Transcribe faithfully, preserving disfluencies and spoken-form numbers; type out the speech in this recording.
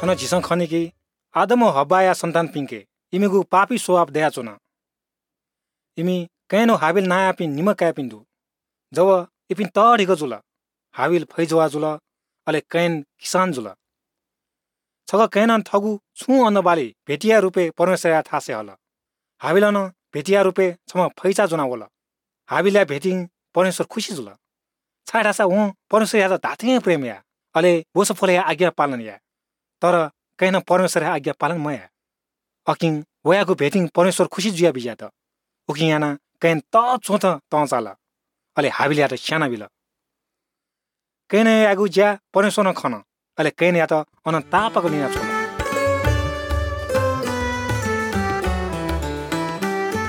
अन झिसं खनी कि आदम हब्बाया सन्तान पिंके इमिगु पापी स्वभाव दयाच्‍वन। इमि can हाबिल नायापिं निम्‍ह काय्‌पिं दु। जव इपिं तःधिकः जुल। हाबिल फैजवाः जुल, अले can किसान जुल। छगः केनं थःगु छुं अन्‍नबाली भेटीया रुपें परमेश्‍वरया थासय् हल। हाबिलं नं भेटीया रुपें छम्‍ह फैचा ज्‍वनाः वल। हाबिलया भेटीं परमेश्‍वर खुसि जुल, छाय्‌धाःसा वं परमेश्‍वरयात धात्‍थें प्रेम याः, अले वसुफलया आज्ञा पालन याः। तर कैनं परमेश्‍वरया आज्ञा पालन मयाः। अकिं वयागु भेटीं परमेश्‍वर खुसि जुयाबी यात। उकिं यानाः can तःच्‍वथं तं चाल, अले हाबिलयात स्‍यानाबिल। कैनयागु ज्‍या परमेश्‍वरं खन, अले कैनयात अन तापाक ल्‍युनाछ्वल।